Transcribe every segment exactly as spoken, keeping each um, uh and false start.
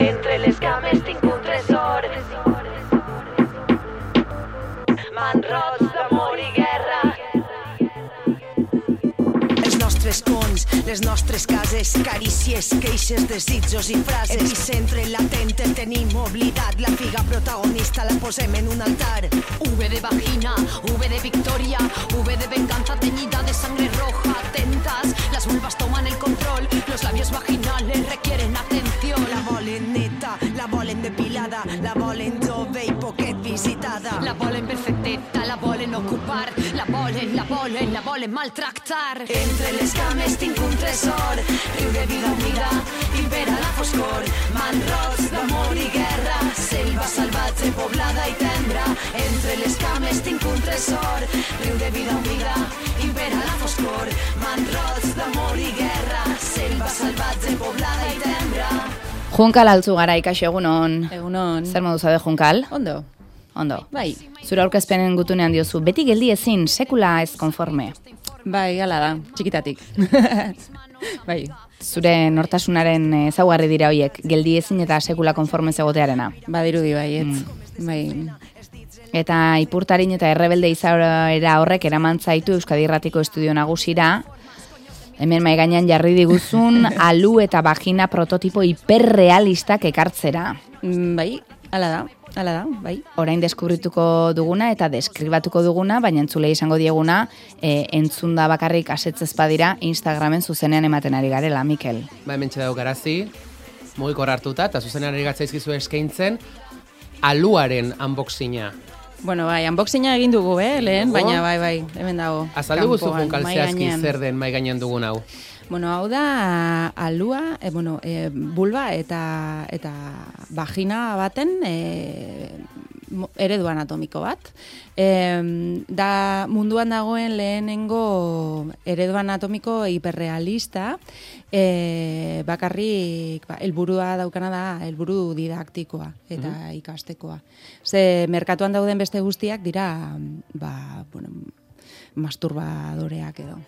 Entre les cames tinc un tresor, manrots d'amor i guerra. Els nostres cons, les nostres cases, carícies, queixes, desitjos i frases. Epicentre latent el tenim oblidat, la figa protagonista la posem en un altar. V de vagina, V de victoria, V de venganza teñida de sangre roja. Atentas, las vulvas toman el control, los labios vaginales requieren atención. La volen neta, la volen depilada, la volen jove i poquet visitada. La volen perfecteta, la volen ocupar, la volen, la volen, la volen maltractar. Entre les cames tinc un tresor, riu de vida humida, impera la foscor, manrots d'amor i guerra, selva salvatge, poblada i tendra. Entre les cames tinc un tresor, riu de vida humida, impera la foscor, manrots d'amor i guerra, selva salvatge, poblada i tendra. Junkal altzu gara ikaxo egunon. Egunon. Zer modu zabe Junkal? Ondo. Ondo. Bai. Zure aurkezpenen gutunean diozu, beti geldi ezin, sekula ez konforme. Bai, hala da, txikitatik. Bai. Zure nortasunaren ezaugarri dira hoiek, geldi ezin eta sekula konforme egotearena. Badirudi baietz. Mm. Bai. Eta ipurtarin eta errebelde izaera horrek eraman zaitu Euskadi Irratiko Estudio Nagusira. Hemen mai gainean jarri diguzun alu eta vagina prototipo hiperrealistak ekartzera. Mm, bai, hala da. Hala da, bai. Orain deskubrituko duguna eta deskribatuko duguna, baina entzulei izango dieguna, e, entzunda bakarrik asetzez badira Instagramen zuzenean ematen ari garela, Mikel. Ba, hemen txedau garazi, mugikor hartuta, eta zuzenean ari gatzaizkizu eskaintzen, aluaren unboxinga. Bueno, bai, unboxinga egin dugu, eh, lehen, baina bai, bai, hemen dago. Azaldu guzu Junkal zehazki zer den mai gainean dugun hau. Bueno, hau da alua, e, bueno, e, bulba eta eta vagina baten e, eredu anatomiko bat. E, da munduan dagoen lehenengo eredu anatomiko hiperrealista, e, bakarrik ba, helburua daukana da helburu didaktikoa eta mm-hmm. ikastekoa. Ze merkatuan dauden beste guztiak dira ba, bueno, masturbadoreak edo.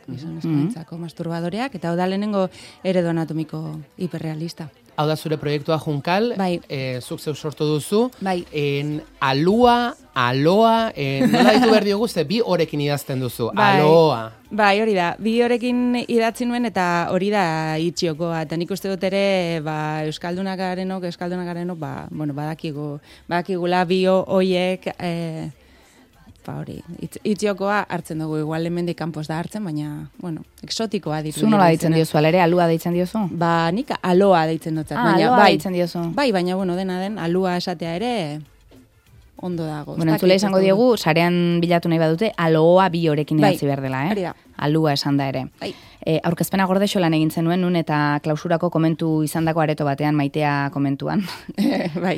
Gizonezkoentzako mm-hmm. masturbadoreak, eta hau da lehenengo eredu anatomiko hiperrealista. Hau da zure proiektua Junkal, bai. e, zuk zeu sortu duzu, bai. en alua, aloa, en, nola ditu behar diogu, ze bi horekin idazten duzu, bai. aloa. Bai, hori da, bi horekin idatzi nuen eta hori da itxiokoa, eta nik uste dut ere, ba, Euskaldunak garenok, Euskaldunak garenok, ba, bueno, badakigu, badakigula bi hoiek, e, ba hori, itz, itxiokoa hartzen dugu, igual hemendik kanpoz da hartzen, baina, bueno, exotikoa ditu. Zu nola deitzen diozu, alere, alua deitzen diozu? Ba, nik aloa deitzen dutzat. Ah, baina, aloa bai, deitzen diozu. Bai, baina, bueno, dena den, alua esatea ere ondo dago. Bueno, entzule izango diegu, sarean bilatu nahi badute, aloa bi horekin bai, idatzi behar dela, eh? Hori da. Alua esan da ere. Bai. E, aurkezpena gordexo lan egin zenuen, nun eta klausurako komentu izandako areto batean, Maitea komentuan. Bai.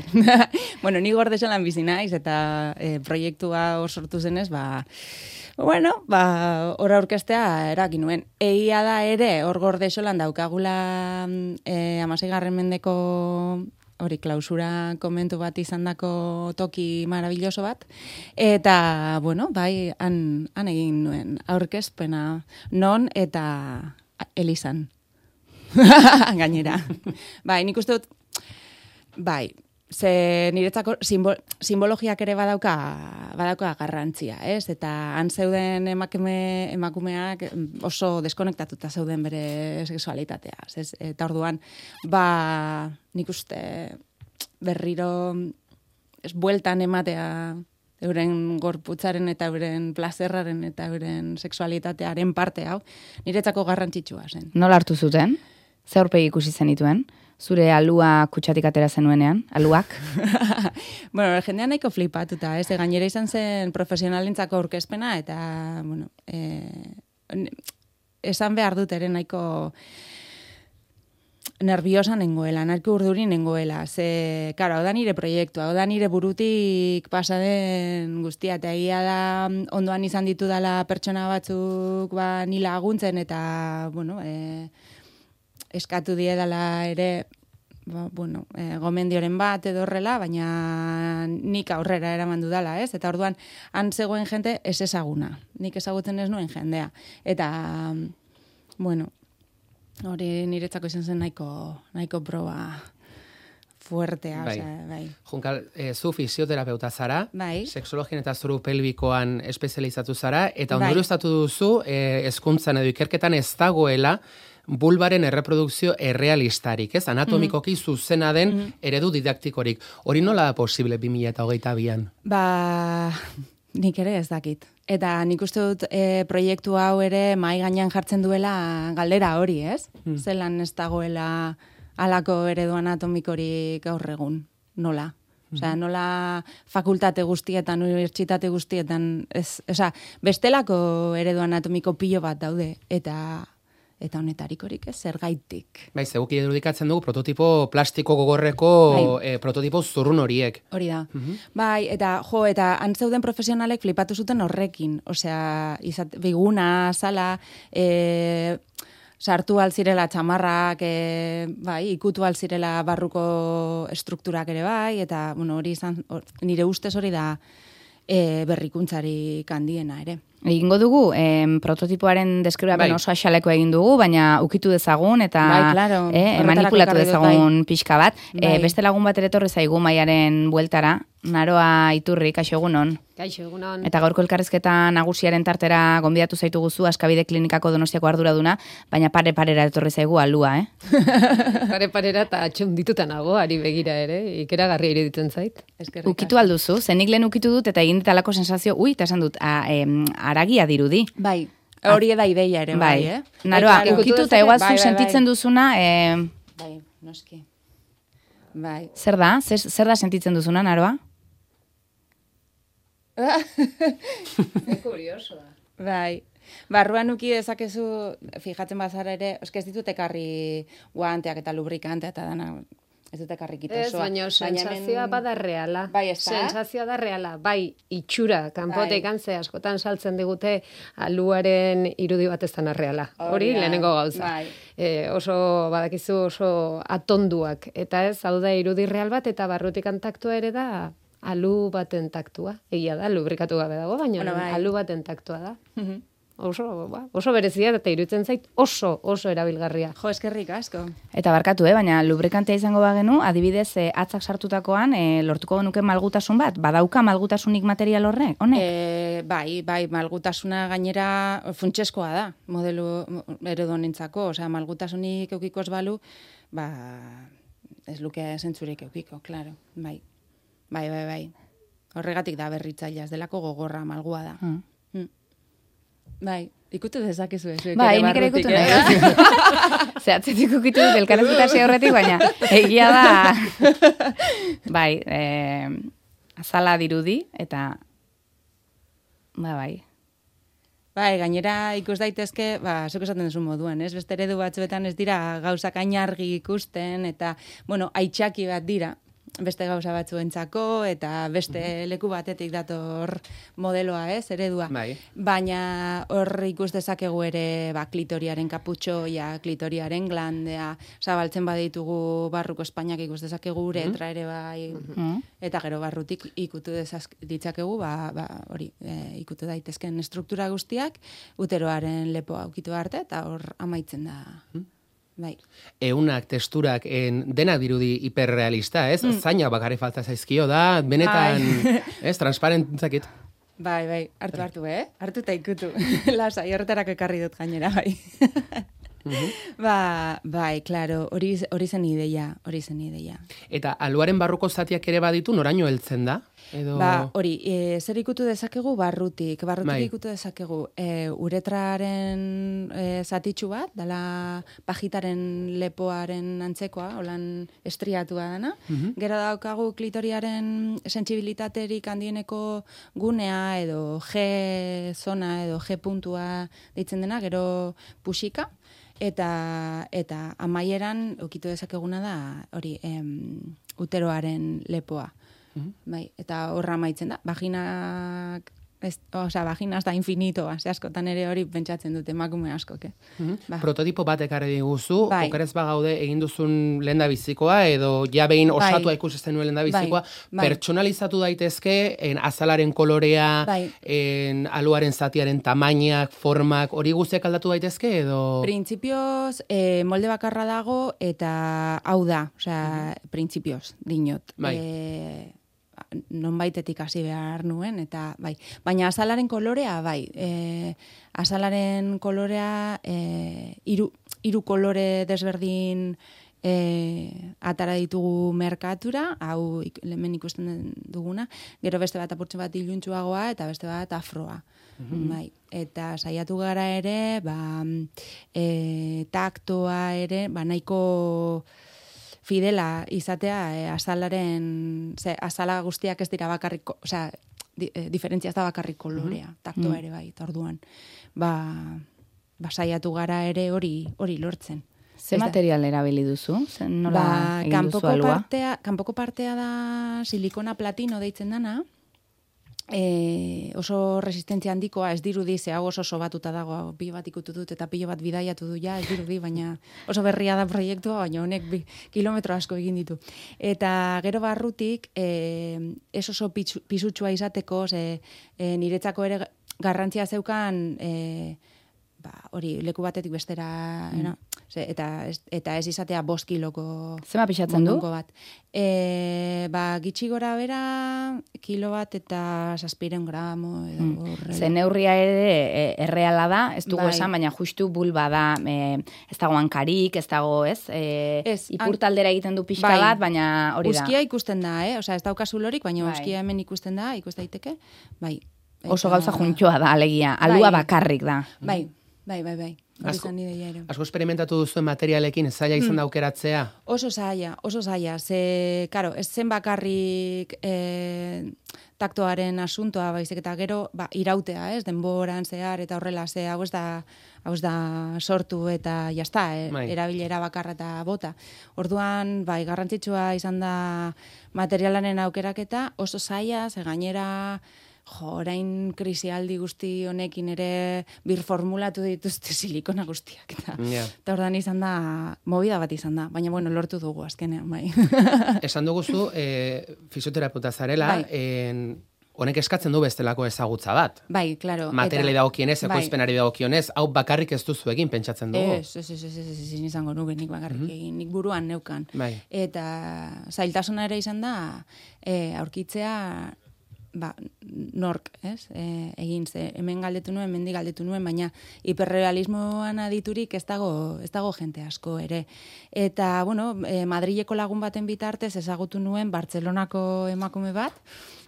Bueno, ni gordexo lan bizi naiz eta e, proiektua hor sortu zenez, ba, bueno, ba, hor aurkeztea erakin nuen. Egia da ere, hor gordexo lan daukagula e, amaseigarren mendeko hori klausura komentu bat izandako toki maravilloso bat, eta, bueno, bai, han, han egin nuen aurkezpena non eta Elizan. Gainera. Bai, nik uste dut, bai, ze niretzako simbol, simbologiak ere badauka, badauka garrantzia, ez? Eta han zeuden emakume, emakumeak oso deskonektatuta zeuden bere sexualitatea, ez? Eta orduan, ba, nik uste berriro ez bueltan ematea euren gorputzaren eta euren plazerraren eta euren sexualitatearen parte hau, niretzako garrantzitsua zen. Nola hartu zuten? Ze aurpegi ikusi zenituen? Zure alua kutsatik atera zenuenean, aluak? Bueno, jendean nahiko flipatuta, ez? Gainera izan zen profesionalentzako aurkezpena eta, bueno, eh, esan behar dut ere nahiko nerviosa nengoela, nahiko urduri nengoela. Ze, karo, hau da nire proiektua, hau da nire burutik pasaden guztia, eta egia da ondoan izan ditu dela pertsona batzuk ba, nila laguntzen eta, bueno, eh, eskatu diedala ere, ba, bueno, e, gomendioren bat edo horrela, baina nik aurrera eraman dudala, ez? Eta orduan, han zegoen jente ez ezaguna. Nik ezagutzen ez nuen jendea. Eta, bueno, hori niretzako izan zen nahiko, nahiko proba fuertea, Bai. osea, bai. Junkal, e, zu fisioterapeuta zara, Bai. seksologian eta zuru pelbikoan espezializatu zara, eta Bai. ondorioztatu duzu, e, hezkuntzan edo ikerketan ez dagoela, bulbaren erreprodukzio errealistarik, ez? Anatomikoki zuzena den eredu didaktikorik. Hori nola da posible bi mila hogeita bian? Ba, nik ere ez dakit. Eta nik uste dut e, proiektu hau ere mai gainean jartzen duela galdera hori, ez? Hmm. Zelan ez dagoela halako eredu anatomikorik gaur egun, nola? Osea, nola fakultate guztietan, unibertsitate guztietan, ez, osea, bestelako eredu anatomiko pilo bat daude, eta eta honetarikorik ez, zergaitik. Bai, zeguki irudikatzen dugu prototipo plastiko gogorreko Bai. e, prototipo zurrun horiek. Hori da. Bai, eta jo, eta antzeuden profesionalek flipatu zuten horrekin. Osea, izat, biguna, sala, e, sartu alzirela txamarrak, e, bai, ikutu alzirela barruko estrukturak ere bai, eta, bueno, hori izan, or, nire ustez hori da e, berrikuntzarik handiena ere. Egingo dugu, em, prototipoaren deskribapen Bai. oso axaleko egin dugu, baina ukitu dezagun eta Bai, claro. eh, Horretarako manipulatu ekarri dut, dezagun pixka bat. Bai. Eh, beste lagun bat ere etorri zaigu maiaren bueltara, Naroa Iturri, kaixo egunon. Kaixo, egunon. Eta gaurko elkarrizketa nagusiaren tartera gonbidatu zaitu guzu Askabide Klinikako Donostiako arduraduna, baina pare-parera etorri zaigu alua, eh? Pare parera eta atxundituta nago, ari begira ere, ikeragarria iruditzen zait. Eskerrik Ukitu alduzu, zenik lehen ukitu dut eta egin ditalako sensazio, ui, eta esan dut, a, em, aragia dirudi. Bai, hori da ideia ere, bai, eh? Naroa, Bai, ukitu ikutu eta igual zu bai, bai, sentitzen bai. duzuna, eh, Bai, noski. Bai. zer da? Zer, zer da sentitzen duzuna, Naroa? Kurioso da. Bai. Barruan uki dezakezu, fijatzen bazara ere, eske ez ditut ekarri guanteak eta lubrikantea eta dana, ez dut ekarri kito Ez, osoa. baina Baina sensazioa hemen- bada reala. Bai, ez da? Sensazioa da reala, bai, itxura, kanpotek Bai. antze askotan saltzen digute aluaren irudi bat ez dana reala. Hori Hori da, lehenengo gauza. bai. E, oso, badakizu oso atonduak. Eta ez, hau da irudi real bat, eta barrutik taktua ere da alu baten taktua. Egia da, lubrikatu gabe dago, baina Bueno, bai. alu baten taktua da. Mhm. Oso, ba, oso berezia eta iruditzen zait oso, oso erabilgarria. Jo, eskerrik asko. Eta barkatu, eh, baina lubrikantea izango bagenu, adibidez, eh, atzak sartutakoan, eh, lortuko genuke malgutasun bat? Badauka malgutasunik material horrek, honek? E, bai, bai, malgutasuna gainera funtseskoa da, modelu eredonentzako, osea, malgutasunik eukiko ez balu, ba, ez luke zentzurik eukiko, claro, bai. Bai, bai, bai. Horregatik da berritzailea, ez delako gogorra, malgua da. Mm. Mm. Bai, ikutu dezakezu ez. Bai, nik ere ikutu nahi. Ze atzetik ukitu dut elkarrezketasi horretik, baina egia da, bai, eh, azala dirudi, eta, ba, bai. Bai, gainera ikus daitezke, ba, zuk esaten duzu moduan, ez? Beste eredu batzuetan ez dira gauzak hain argi ikusten, eta, bueno, aitxaki bat dira, beste gauza batzuentzako, eta beste leku batetik dator modeloa, ez, eredua. Bai. Baina hor ikus dezakegu ere, ba, klitoriaren kaputxoia, klitoriaren glandea, zabaltzen baditugu barruko Espainiak ikus dezakegu uretra ere bai, Mm. eta gero barrutik ikutu dezak, ditzakegu, ba, ba, hori, e, ikutu daitezken struktura guztiak, uteroaren lepoa ukitu arte, eta hor amaitzen da. Bai. Eunak, testurak, en, denak dirudi hiperrealista, ez? Zaina bakarri falta zaizkio da, benetan, ez, transparentzakit. Bai, bai, hartu, hartu, eh? Hartu eta ikutu. Lasai, horretarako ekarri dut gainera, bai. Ba, bai, claro, hori hori zen ideia, hori zen ideia. Eta aluaren barruko zatiak ere baditu, noraino heltzen da? Edo... Ba, hori, e, zer ikutu dezakegu barrutik, barrutik Bai. ikutu dezakegu e, uretraren e, zatitxu bat, dala pajitaren lepoaren antzekoa, holan estriatua dana. Gero daukagu klitoriaren sentsibilitaterik handieneko gunea edo G zona edo G puntua deitzen dena, gero pusika. Eta, eta amaieran ukitu dezakeguna da hori em, uteroaren lepoa. Bai, eta horra amaitzen da. Vaginak Ez, osea, vagina da infinitoa, ze askotan ere hori pentsatzen dute emakume askok, eh? Mhm. Ba. Prototipo bat ekarri diguzu, Bai. okerez bagaude egin duzun lehendabizikoa, edo ja behin osatua Bai. ikusi zenuen lehendabizikoa, Bai, bai. pertsonalizatu daitezke, en azalaren kolorea, Bai. en aluaren zatiaren tamainak, formak, hori guztiak aldatu daitezke, edo... Printzipioz, eh, molde bakarra dago, eta hau da, osea, printzipioz, dinot. Bai. Eh, nonbaitetik hasi behar nuen, eta bai. Baina azalaren kolorea, bai. E, azalaren kolorea, e, iru, iru kolore desberdin e, atara ditugu merkatura, hau ik, hemen ikusten duguna, gero beste bat apurtxe bat iluntsuagoa, eta beste bat afroa. Bai. Eta saiatu gara ere, ba, e, taktoa ere, ba, nahiko fidela izatea e, azalaren, ze, azala guztiak ez dira bakarrik, osea, di, e, diferentzia ez da bakarrik kolorea, taktoa ere bai, eta orduan, ba, ba saiatu gara ere hori hori lortzen. Ze material erabili duzu? Zer, nola Ba, egin duzu kanpoko alua? partea, kanpoko partea da silikona platino deitzen dana, E, oso resistentzia handikoa, ez dirudi, ze hau oso sobatuta dago, hau, pilo bat ikutu dut eta pilo bat bidaiatu du ja, ez dirudi, baina oso berria da proiektua, baina honek bi, kilometro asko egin ditu. Eta gero barrutik, e, ez oso pitsu, pisutsua izateko, ze e, niretzako ere garrantzia zeukan, e, ba, hori, leku batetik bestera, mm. no? Ze, eta, ez, eta ez izatea bost kiloko Zema pixatzen du? mondonko bat. E, ba, gitxi gora bera, kilo bat eta zazpiren gramo. Edo, mm. Ze neurria ere e, erreala da, ez dugu Bai. esan, baina justu bulba da, e, ez dago hankarik, ez dago, ez? E, Ez, ipurtaldera egiten du pixka Bai. bat, baina hori da. Uzkia ikusten da, eh? Osea, ez daukazu lorik, baina Bai. uzkia hemen ikusten da, ikus daiteke. Bai. Oso Eta- gauza juntxoa da, alegia. Alua Bai. bakarrik da. Bai, bai, bai, bai. Hori Asko- zan ideia ere. Asko esperimentatu duzuen materialekin zaila izan da aukeratzea. Oso zaila, oso zaila. Ze, karo, ez zen bakarrik e, taktoaren asuntoa, baizik eta gero, ba, irautea, ez, denboran zehar, eta horrela, ze, hau ez da, hau ez da sortu eta jazta, e, Bai. erabilera bakarra eta bota. Orduan, bai, garrantzitsua izan da materialaren aukeraketa, oso zaila, ze gainera, jo, orain krisialdi guzti honekin ere birformulatu dituzte silikona guztiak. Eta, Ja. eta ordan izan da, movida bat izan da. Baina, bueno, lortu dugu azkenean, bai. Esan duguzu, e, fisioterapeuta zarela, Bai. en, honek eskatzen du bestelako ezagutza bat. Bai, claro. Materiali eta- dagokionez, bai. ekoizpenari dagokionez, hau bakarrik ez duzu egin pentsatzen dugu. Ez, ez, ez, ez, ez, ez, ezin izango nuke nik bakarrik egin, nik buruan neukan. Bai. Eta zailtasuna ere izan da, e, aurkitzea, ba, nork, ez? E, egin ze, hemen galdetu nuen, hemendik galdetu nuen, baina hiperrealismoan aditurik ez dago, ez dago jente asko ere. Eta, bueno, e, Madrileko lagun baten bitartez ezagutu nuen Bartzelonako emakume bat,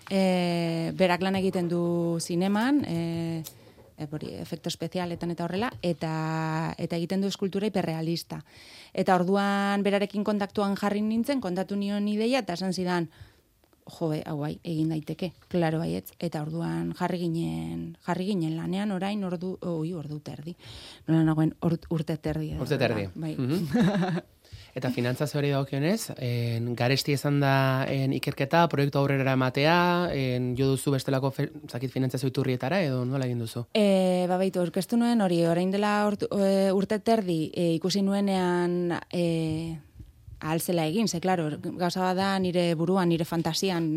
e, berak lan egiten du zineman, e, e, hori, efekto espezialetan eta horrela, eta, eta egiten du eskultura hiperrealista. Eta orduan berarekin kontaktuan jarri nintzen, kontatu nion ideia, eta esan zidan, jo, hau bai, egin daiteke, klaro baietz, eta orduan jarri ginen, jarri ginen lanean orain ordu, oi, ordu terdi. Nola nagoen or, urte terdi. edo, Urte terdi. Bai. Mhm. Eta finantzazioari dagokionez, en, garesti izan da en, ikerketa, proiektu aurrera ematea, en, jo duzu bestelako fe, zakit finantzazio iturrietara, edo nola egin duzu? E, ba, baitu, aurkeztu nuen hori, orain dela ortu, e, urte terdi e, ikusi nuenean e, ahalzela egin, ze, klaro, gauza bat da nire buruan, nire fantasian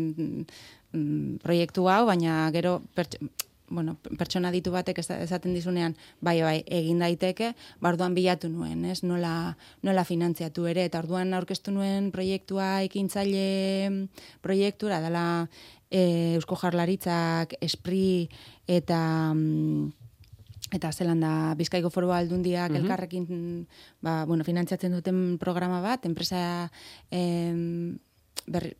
mm, proiektu hau, baina gero pertx, bueno, pertsona ditu batek ez- esaten dizunean, bai, bai, egin daiteke, ba, orduan bilatu nuen, ez, nola, nola finantziatu ere, eta orduan aurkeztu nuen proiektua ekintzaile proiektura, dela e, Eusko Jaurlaritzak, Espri eta... mm, eta zelan da Bizkaiko Foru Aldundiak Mhm. elkarrekin ba, bueno, finantziatzen duten programa bat, enpresa em, berri,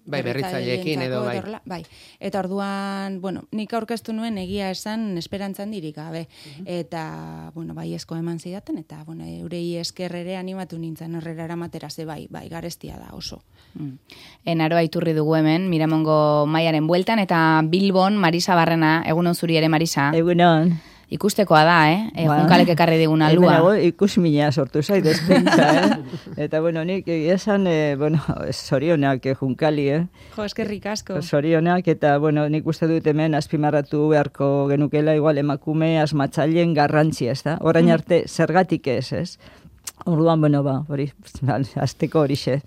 Bai, berritzaileekin edo, bai. eta horrela, bai. Eta orduan, bueno, nik aurkeztu nuen egia esan esperantzan dirik gabe. Eta, bueno, bai esko eman zidaten, eta, bueno, eurei esker ere animatu nintzen horrera eramatera, ze bai, bai, garestia da oso. Mm. Enaroa iturri dugu hemen, Miramongo Maiaren bueltan, eta Bilbon Marisa Barrena, egunon zuri ere Marisa. Egunon. Ikustekoa da, eh? E, Ba, Junkalek ekarri digun alua. Hemen ikusmina sortu zait despentsa, eh? Eta, bueno, nik esan, eh, bueno, zorionak eh, Junkali, eh? Jo, eskerrik asko. Zorionak, eta, bueno, nik uste dut hemen azpimarratu beharko genukela, igual emakume asmatzaileen garrantzia, ez da? Orain arte, zergatik ez, ez? Orduan, bueno, ba, hori, azteko horixe.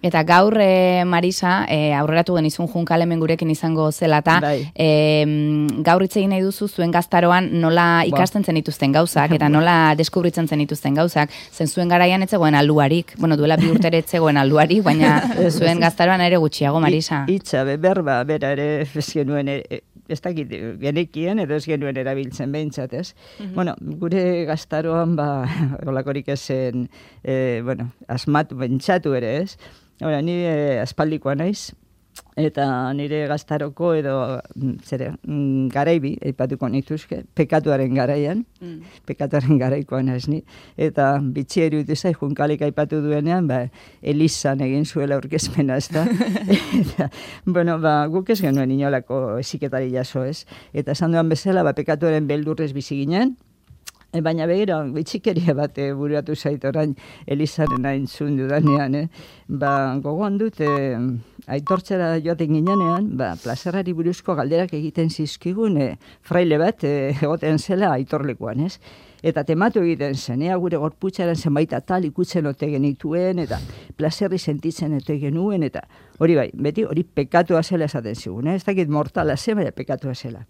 Eta gaur, e, Marisa, e, aurreratu genizun Junkal hemen gurekin izango zela, eta Bai. e, gaur hitz egin nahi duzu zuen gaztaroan nola ikasten zenituzten gauzak, eta nola deskubritzen zenituzten gauzak, zen zuen garaian etzegoen alduarik, bueno, duela bi urtere etzegoen alduarik, baina zuen gaztaroan ere gutxiago, Marisa. Itza, berba, bera ere ez genuen, e, ez dakit, genekien edo ez genuen erabiltzen behintzat, ez? Bueno, gure gaztaroan, ba, holakorik ezen, e, bueno, asmatu, bentsatu ere, ez? Hora, ni e, aspaldikoa naiz, eta nire gaztaroko edo, zere, mm, garaibi, aipatuko nituzke, pekatuaren garaian, mm. pekatuaren garaikoa naiz ni, eta bitxi eruditu zai, Junkalik aipatu duenean, ba, Elizan egin zuela aurkezpena, ez da? Eta, bueno, ba, guk ez genuen inolako esiketari jaso, ez? Eta esan duan bezala, ba, pekatuaren beldurrez bizi ginen, E, baina begira, bitxikeria bat e, buruatu zait orain Elizaren aintzun dudanean, eh? Ba, gogoan dut, e, aitortzera joaten ginenean, ba, plazerari buruzko galderak egiten zizkigun, e, fraile bat e, egoten zela aitorlekuan, ez? Eta tematu egiten zen, ea gure gorputzaren zenbait atal ikutzen ote genituen, eta plazerri sentitzen ote genuen, eta hori bai, beti hori pekatua zela esaten zigun, eh? Ez dakit mortala zen, baina pekatua zela.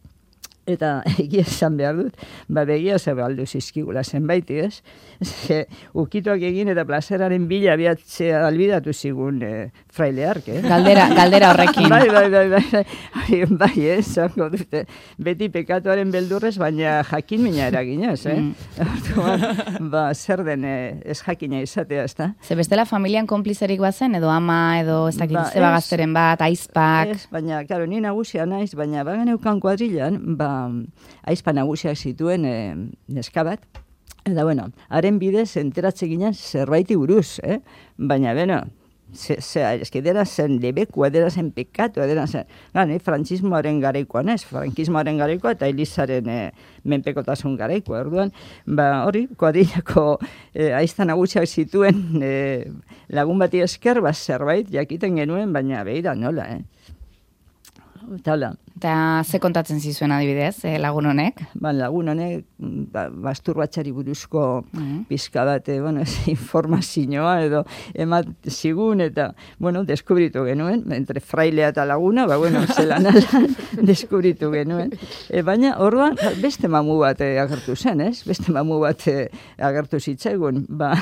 Eta egia esan behar dut, ba begia ze baldu zizkigula zenbaiti, ez? Ze, ukituak egin eta plazeraren bila abiatzea albidatu zigun e, fraileark, eh? Galdera, galdera horrekin. Bai, bai, bai, bai, bai, bai, ez, zango dute, beti pekatuaren beldurrez, baina jakin mina eraginez, eh? Mm. Ba, zer den eh, ez jakina izatea, ez da? Ze bestela familian konplizerik bazen, edo ama, edo ez dakit Ba, zeba ez. gazteren bat, aizpak. Ez, baina, karo, ni nagusia naiz, baina bagan eukan kuadrilan, ba, aizpa nagusiak zituen e, neska bat, eta bueno, haren bidez enteratze ginen zerbaiti buruz, eh? Baina, bueno, ze, ze, eski dera zen lebekua, dera zen pekatu, dera zen, gane, frantzismoaren garaikoa, nez, frankismoaren garaikoa eta Elizaren e, menpekotasun garaikoa, orduan, ba, hori, kuadrilako e, aizta nagusiak zituen e, lagun bati esker, ba, zerbait jakiten genuen, baina behira nola, eh? Eta hola. Eta ze kontatzen zizuen adibidez, eh, lagun honek? Ba, lagun honek, ba, masturbatzari buruzko mm. pizka bat, bueno, ez, informazioa edo emat zigun, eta, bueno, deskubritu genuen, entre frailea eta laguna, ba, bueno, zelan alan deskubritu genuen. E, baina, orduan, beste mamu bat e, agertu zen, ez? Beste mamu bat e, agertu zitzaigun, ba,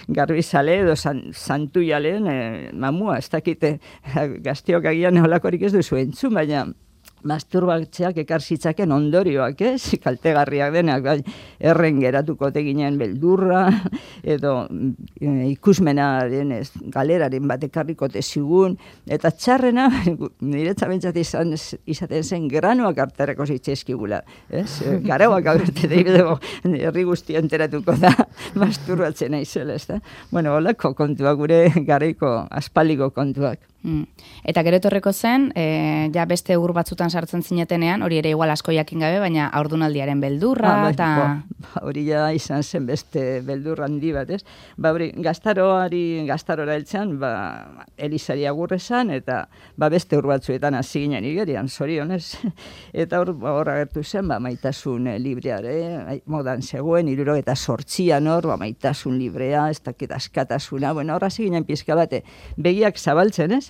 garbizale edo san, santu jalen e, mamua, ez dakite, gaztiok agian holakorik ez duzu entzun, baina, masturbatzeak ekar zitzaken ondorioak, ez? Kaltegarriak denak, bai, erren geratuko teginen beldurra, edo e, ikusmenaren ez, galeraren bat ekarriko zigun, eta txarrena, niretza bentsat izan, izaten zen granoak arterako zitzezkigula, ez? Garauak aurte dago, herri guztia enteratuko da, masturbatzen aizela, ez da? Bueno, holako kontuak, gure garaiko aspaldiko kontuak. Mm. Eta gero etorriko zen, e, ja beste ur batzutan sartzen zinetenean, hori ere igual asko jakin gabe, baina haurdunaldiaren beldurra, ah, eta... Ba, hori ja izan zen beste beldur handi bat, ez? Ba, hori, gaztaroari, gaztarora heltzean, ba, Elizari agurrezan, eta ba, beste ur batzuetan hasi ginen igerian, zorionez. Eta hor, hor agertu zen, ba, maitasun libreare, modan zegoen, iruro eta sortzian hor, ba, maitasun librea, ez dakit askatasuna, bueno, hor hasi ginen pizka bate, begiak zabaltzen, ez?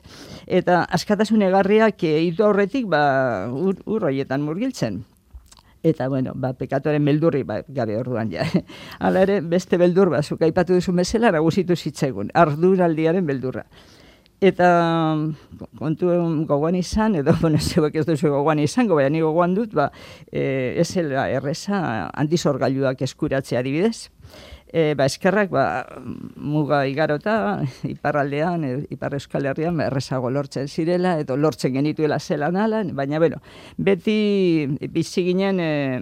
Eta askatasun egarriak hitu aurretik ba, ur, ur horietan murgiltzen. Eta, bueno, ba, pekatuaren beldurri ba, gabe orduan ja. Hala ere, beste beldur ba, zuk aipatu duzu bezala, nagusitu zitzaigun, arduraldiaren beldurra. Eta kontu gogoan izan, edo, bueno, zeuek ez duzu gogoan izango, baina ni gogoan dut, ba, e, ezela erreza antizorgailuak eskuratzea adibidez. E, ba, eskerrak, ba, muga igarota, iparraldean, e, ipar Euskal Herrian, ba, errezago lortzen zirela, edo lortzen genituela zelan alan, baina, bueno, beti bizi ginen, e,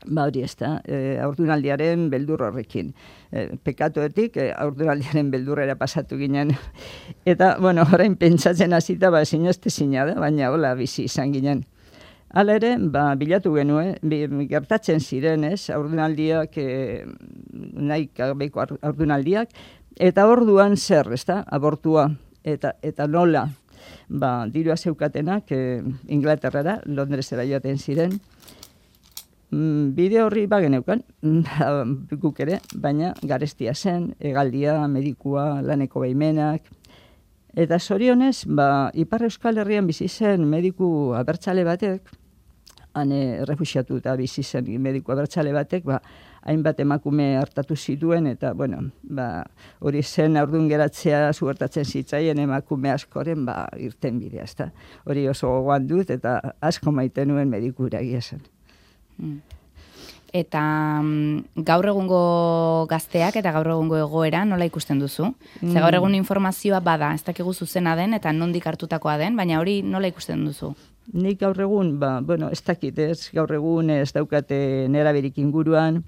ba, hori ez da, e, aurdunaldiaren beldur horrekin. E, pekatuetik, e, aurdunaldiaren beldurrera pasatu ginen. Eta, bueno, orain pentsatzen hasita, ba, zinezte zina da, baina, hola, bizi izan ginen. Hala ere, ba, bilatu genuen, gertatzen ziren, ez, haurdunaldiak, e, nahi gabeko haurdunaldiak, eta orduan zer, ezta, abortua, eta, eta nola, ba, dirua zeukatenak, e, Inglaterrara, Londresera joaten ziren, mm, bide horri bageneukan, guk ere, baina garestia zen, hegaldia, medikua, laneko behimenak, eta zorionez, ba, Ipar Euskal Herrian bizi zen mediku abertzale batek, hane refuxiatu eta bizi zen mediku abertzale batek, ba, hainbat emakume hartatu zituen, eta, bueno, ba, hori zen aurdun geratzea zugertatzen zitzaien emakume askoren, ba, irten bidea, ezta. Hori oso gogoan dut, eta asko maite nuen mediku iragia zen. Mm. Eta mm, gaur egungo gazteak eta gaur egungo egoera nola ikusten duzu? Mm. Ze gaur egun informazioa bada, ez dakigu zuzena den eta nondik hartutakoa den, baina hori nola ikusten duzu? Nik gaur egun, ba, bueno, ez dakit ez, gaur egun ez daukate neraberik inguruan,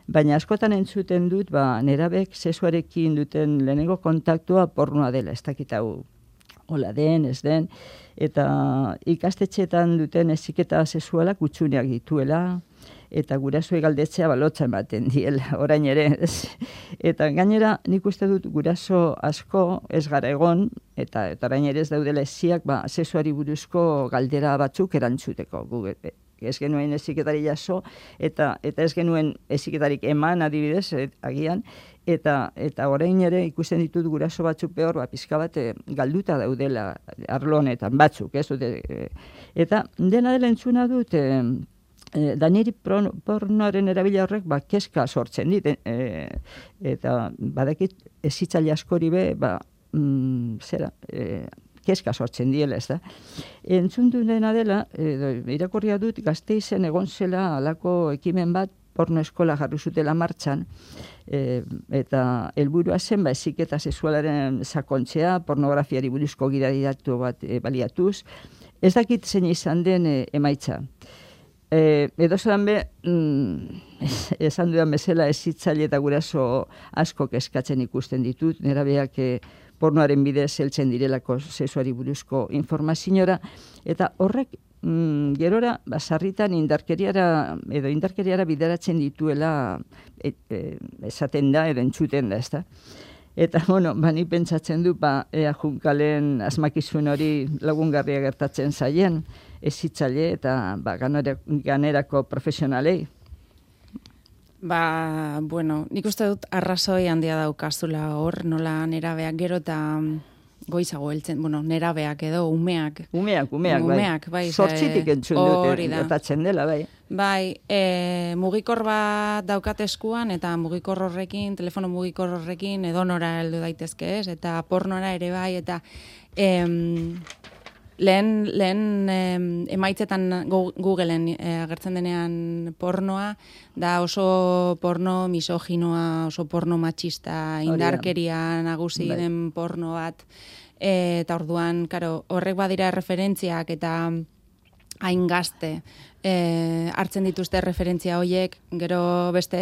baina askotan entzuten dut, ba, nerabek sexuarekin duten lehenengo kontaktua pornoa dela, ez dakit hau hola den, ez den, eta ikastetxeetan duten heziketa sexualak utxuneak dituela, eta gurasoei galdetzea balotza ematen diela, orain ere, ez? Eta gainera, nik uste dut guraso asko ez gara egon, eta, eta orain ere ez daudela eziak, ba, sexuari buruzko galdera batzuk erantzuteko. Gu, ez genuen heziketari jaso, eta, eta ez genuen heziketarik eman adibidez, et, agian, eta, eta orain ere ikusten ditut guraso batzuk behor, ba, pizka bat galduta daudela arlo honetan, batzuk, ez dute. Eta dena dela entzuna dut, e, E, da niri pornoaren erabila horrek ba, keska sortzen dit, e, eta badakit ezitzaile askori be, ba, mm, zera, e, keska sortzen diela, ez da. Entzundu dena dela, e, irakurria dut, Gasteizen egon zela alako ekimen bat, porno eskola jarri zutela martxan, e, eta helburua zen, ba, heziketa sexualaren sakontzea, pornografiari buruzko gidadidatu bat e, baliatuz, ez dakit zein izan den e, emaitza. E, edo zelan be, mm, esan dudan bezala ezitzaile eta guraso asko eskatzen ikusten ditut, nerabeak e, pornoaren bidez heltzen direlako sexuari buruzko informaziora, eta horrek mm, gerora basarritan indarkeriara edo indarkeriara bideratzen dituela e, e, esaten da edo entzuten da, ezta? Eta, bueno, bani pentsatzen du, ba, ea junkalen asmakizun hori lagungarria gertatzen zaien, ezitzaile eta ba, ganerako profesionalei. Ba, bueno, nik uste dut arrazoi handia daukazula hor, nola nerabeak gero eta goizago heltzen, bueno, nerabeak edo umeak. Umeak, umeak, umeak bai. Zortzitik entzun dut, gertatzen dela, bai. Bai, e, mugikor bat daukat eskuan, eta mugikor horrekin, telefono mugikor horrekin, edonora heldu daitezke ez, eta pornora ere bai, eta em, lehen, lehen em, emaitzetan Googleen e, agertzen denean pornoa, da oso porno misoginoa, oso porno matxista, indarkeria nagusi bai. Den porno bat, e, eta orduan, karo, horrek badira referentziak, eta hain gazte, E, hartzen dituzte referentzia horiek, gero beste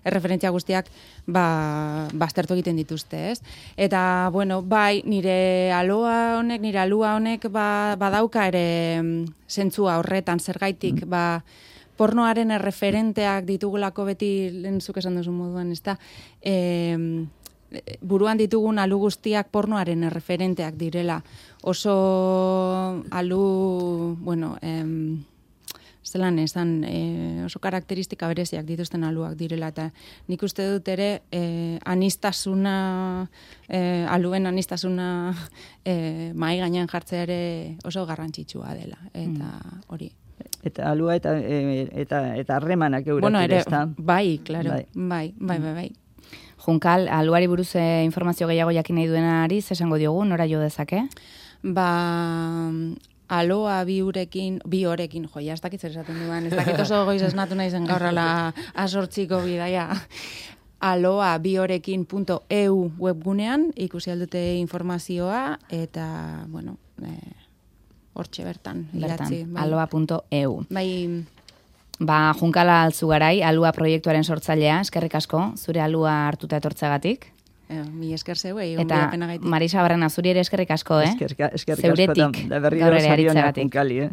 referentzia guztiak ba, baztertu egiten dituzte, ez? Eta, bueno, bai, nire aloa honek, nire alua honek ba, badauka ere zentzua horretan, zergaitik, mm. ba, pornoaren erreferenteak ditugulako beti, lehen zuk esan duzu moduan, ez da, e, buruan ditugun alu guztiak pornoaren erreferenteak direla. Oso alu, bueno, em, zelan esan, e, oso karakteristika bereziak dituzten aluak direla, eta nik uste dut ere e, anistasuna, e, aluen anistasuna e, mahai gainean jartzea ere oso garrantzitsua dela, eta hori. Eta alua eta e, eta eta harremanak eurak bueno, ere, ezta? Bai, claro, bai, bai, bai, bai. bai. Junkal, aluari buruz e, informazio gehiago jakin nahi duenari, esango diogu, nora jo dezake? Ba, aloa bi urekin, bi horekin, jo, ja, ez dakit zer esaten duan, ez dakit oso goiz esnatu nahi zen gaurrala asortziko bidaia. aloa bi horekin punto e u webgunean ikusi aldute informazioa, eta, bueno, e, hortxe bertan, idatzi. Bertan, aloa punto e u. Bai, ba, Junkala Altzugarai, alua proiektuaren sortzailea, eskerrik asko, zure alua hartuta etortzagatik. Eh, mi esker zeuei, eta Marisa Barrena, zuri ere eskerrik asko, eh? Eskerrik asko, da berri da Junkali, eh?